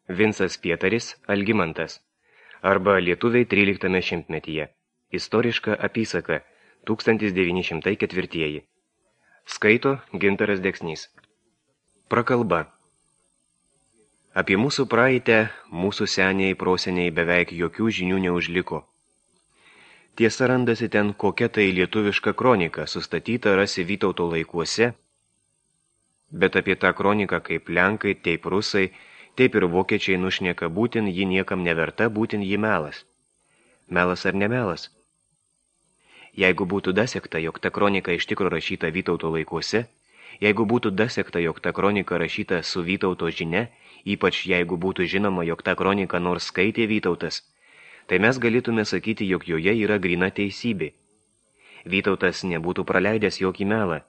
Vincas Pietaris Algimantas arba Lietuviai 13 šimtmetyje. Istoriška apysaka 1904. Skaito Gintaras Deksnys. Prakalba. Apie mūsų praeitę mūsų seniai proseniai beveik jokių žinių neužliko. Tiesa, randasi ten kokia tai lietuviška kronika, sustatyta rasi Vytauto laikuose, bet apie tą kroniką kaip lenkai, taip rusai, taip ir vokiečiai nušneka, būtin ji niekam neverta, būtin ji melas. Melas ar nemelas? Jeigu būtų dasekta, jog ta kronika iš tikro rašyta Vytauto laikuose, jeigu būtų dasekta, jog ta kronika rašyta su Vytauto žinia, ypač jeigu būtų žinoma, jog ta kronika nors skaitė Vytautas, tai mes galėtume sakyti, jog joje yra gryna teisybė. Vytautas nebūtų praleidęs jokį melą,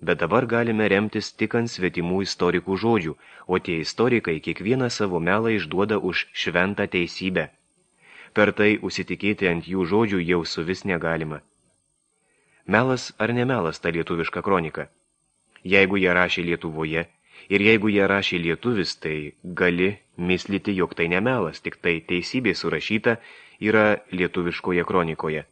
bet dabar galime remtis tik ant svetimų istorikų žodžių, o tie istorikai kiekvieną savo melą išduoda už šventą teisybę. Per tai užsitikėti ant jų žodžių jau suvis negalima. Melas ar nemelas ta lietuviška kronika? Jeigu ją rašė Lietuvoje ir jeigu ją rašė lietuvis, tai gali mislyti, jog tai nemelas, tik tai teisybė surašyta yra lietuviškoje kronikoje.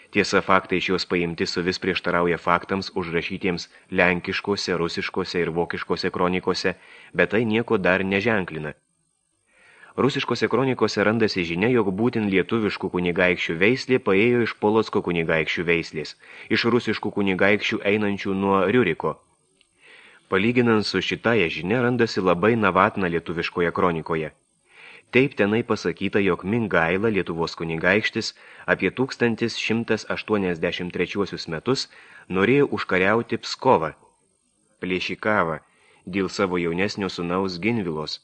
Tiesa, faktai iš jos paimti suvis prieštarauja faktams užrašytiems lenkiškose, rusiškose ir vokiškose kronikose, bet tai nieko dar neženklina. Rusiškose kronikose randasi žinia, jog būtin lietuviškų kunigaikščių veislė paėjo iš Polocko kunigaikščių veislės, iš rusiškų kunigaikščių einančių nuo Riuriko. Palyginant su šitąja žinia randasi labai navatna lietuviškoje kronikoje. Taip tenai pasakyta, jog Mingaila, Lietuvos kunigaikštis, apie 1183 metus norėjo užkariauti Pskovą, Plėšikavą, dėl savo jaunesnio sūnaus Ginvilos.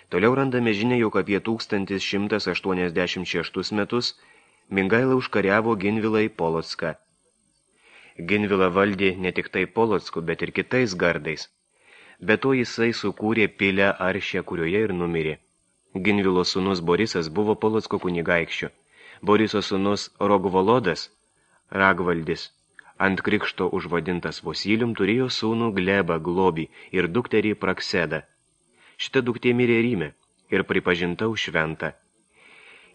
Toliau randame žinia, jog apie 1186 metus Mingaila užkariavo Ginvilą į Polocką. Ginvila valdė ne tik tai Polocku, bet ir kitais gardais. Be to jisai sukūrė pilę Aršę, kurioje ir numirė. Ginvilo sūnus Borisas buvo Polocko kunigaikščiu. Boriso sūnus Rogvolodas, Ragvaldis, ant krikšto užvadintas Vosilijum, turėjo sūnų Glebą Globį ir dukterį Praksedą. Šita duktė mirė Ryme ir pripažinta už šventą.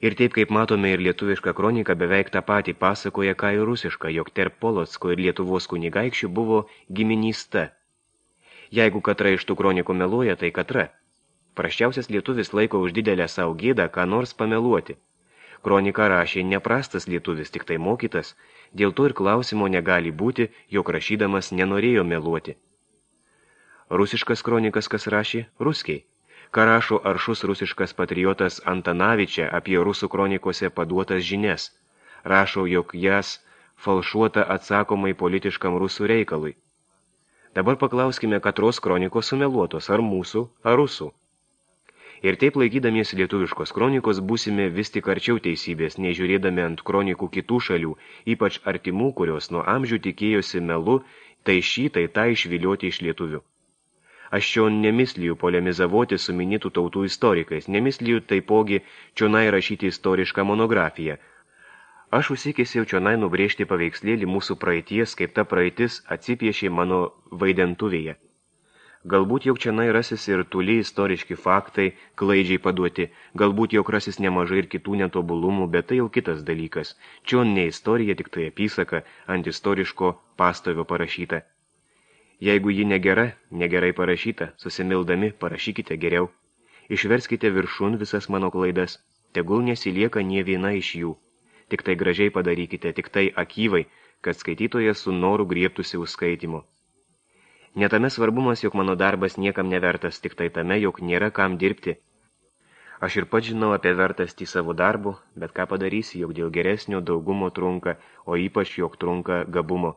Ir taip, kaip matome, ir lietuviška kronika beveik tą patį pasakoja, ką ir rusiška, jog tarp Polocko ir Lietuvos kunigaikščių buvo giminysta. Jeigu katra iš tų kronikų meluoja, tai katra. Prasčiausias lietuvis laiko už didelę savo gėdą, ką nors pameluoti. Kroniką rašė neprastas lietuvis, tik tai mokytas, dėl to ir klausimo negali būti, jog rašydamas nenorėjo meluoti. Rusiškas kronikas kas rašė? Ruskiai. Ką rašo aršus rusiškas patriotas Antanavičia apie rusų kronikose paduotas žinias. Rašo, jog jas falšuota atsakomai politiškam rusų reikalui. Dabar paklauskime, katros kronikos sumeluotos, ar mūsų, ar rusų. Ir taip laikydamiesi lietuviškos kronikos būsime vis tik arčiau teisybės, nežiūrėdami ant kronikų kitų šalių, ypač artimų, kurios nuo amžių tikėjosi melu, tai šį, tai tą išvilioti iš lietuvių. Aš čia nemislijų polemizavoti su minėtų tautų istorikais, nemislijų taipogi čionai rašyti istorišką monografiją. Aš užsikėsiau čionai nubrėžti paveikslėlį mūsų praeities, kaip ta praeitis atsipiešė mano vaidentuvėje. Galbūt jog čionai rasis ir tuli istoriški faktai, klaidžiai paduoti, galbūt jog rasis nemažai ir kitų netobulumų, bet tai jau kitas dalykas. Čion ne istorija, tik tai apysaka ant istoriško pastovio parašyta. Jeigu ji negera, negerai parašyta, susimildami parašykite geriau. Išverskite viršun visas mano klaidas, tegul nesilieka nie viena iš jų. Tik tai gražiai padarykite, tik tai akyvai, kad skaitytojas su noru griebtųsi užskaitimo. Netame svarbumas, jog mano darbas niekam nevertas, tik tai tame, jog nėra kam dirbti. Aš ir pats žinau apie vertastį savo darbų, bet ką padarysi, jog dėl geresnio daugumo trunka, o ypač jog trunka gabumo.